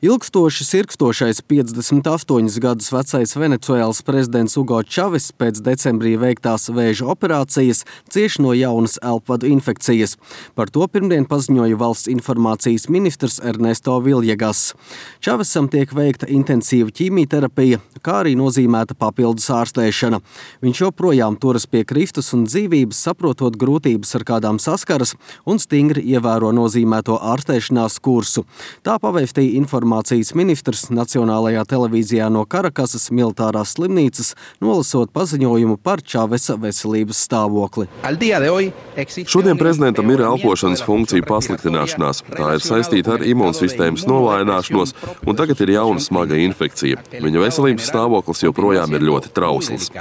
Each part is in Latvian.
Ilgstoši sirkstošais 58 gadus vecais Venecuēlas prezidents Hugo Čaves pēc decembrī veiktās vēža operācijas cieš no jaunas elpvadu infekcijas. Par to pirmdien paziņoja valsts informācijas ministrs Ernesto Villegas. Čavesam tiek veikta intensīva ķīmijterapija, kā arī nozīmēta papildus ārstēšana. Viņš joprojām turas pie kristus un dzīvības, saprotot grūtības, ar kādām saskaras, un stingri ievēro nozīmēto ārstēšanās kursu. Tā pavēstīja informācijas ministrs Nacionālajā televīzijā no Karakasas militārās slimnīcas, nolasot paziņojumu par Čavesa veselības stāvokli. Šodien prezidentam ir elpošanas funkciju pasliktināšanās. Tā ir saistīta ar imūnsistēmas novājināšanos, un tagad ir jauna smaga infekcija. Viņa veselības stāvoklis joprojām ir ļoti trausls.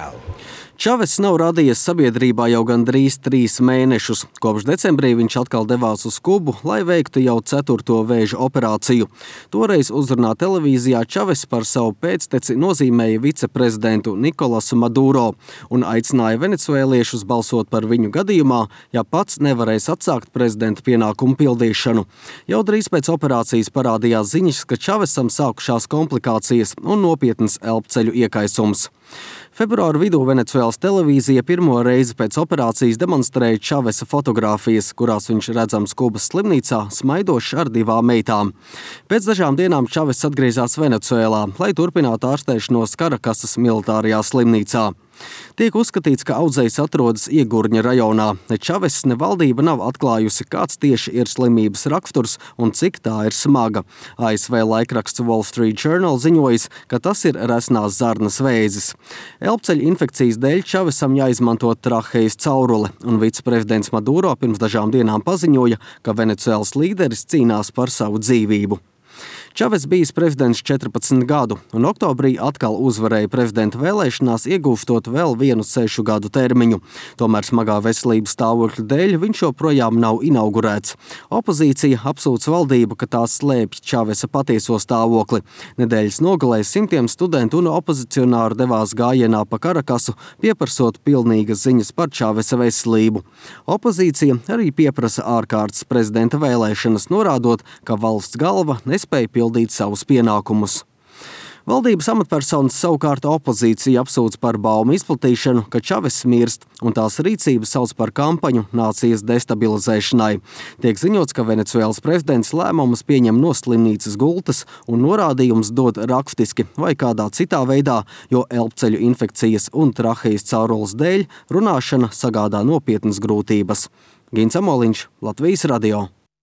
Čaves nav rādījies sabiedrībā jau gandrīz 3 mēnešus. Kopš decembrī viņš atkal devās uz Kubu, lai veiktu jau 4. vēža operāciju. Toreiz uzrunā televīzijā Čaves par savu pēcteci nozīmēja viceprezidentu Nikolasu Maduro un aicināja venecuēliešus balsot par viņu gadījumā, ja pats nevarēs atsākt prezidenta pienākumu pildīšanu. Jau drīz pēc operācijas parādījās ziņas, ka Čavesam sākušās komplikācijas un nopietnas elpceļu iekaisums. Februāra vidū Venecuēlas televīzija pirmo reizi pēc operācijas demonstrēja Čavesa fotogrāfijas, kurās viņš redzams Kubas slimnīcā, smaidošs ar 2 meitām. Pēc dažām dienām Čaves atgriezās Venecuēlā, lai turpinātu ārstēšanos Karakasas militārajā slimnīcā. Tiek uzskatīts, ka audzējs atrodas Iegurņa rajonā. Ne Čaves, ne valdība nav atklājusi, kāds tieši ir slimības raksturs un cik tā ir smaga. ASV laikraksts Wall Street Journal ziņojis, ka tas ir resnās zarnas vēzis. Elpceļa infekcijas dēļ Čavesam jāizmanto trahejas caurule, un viceprezidents Maduro pirms dažām dienām paziņoja, ka Venecuēlas līderis cīnās par savu dzīvību. Čaves bijis prezidents 14 gadu, un oktobrī atkal uzvarēja prezidenta vēlēšanās, iegūstot vēl vienu 6 gadu termiņu. Tomēr smagā veselības stāvokļa dēļ viņš joprojām nav inaugurēts. Opozīcija apsūdz valdību, ka tās slēpj Čavesa patieso stāvokli. Nedēļas nogalē simtiem studentu un opozicionāru devās gājienā pa Karakasu, pieprasot pilnīgas ziņas par Čavesa veselību. Opozīcija arī pieprasa ārkārtas prezidenta vēlēšanas, norādot, ka valsts galva nespēja pildīt savus pienākumus. Valdības amatpersonas savukārt opozīcija apsūdz par baumu izplatīšanu, ka Čaves mirst, un tās rīcību sauc par kampaņu nācijas destabilizēšanai. Tiek ziņots, ka Venecuēlas prezidents lēmumus pieņem no slimnīcas gultas un norādījums dod rakstiski vai kādā citā veidā, jo elpceļu infekcijas un trahejas caurules dēļ runāšana sagādā nopietnas grūtības. Gins Amoliņš, Latvijas radio.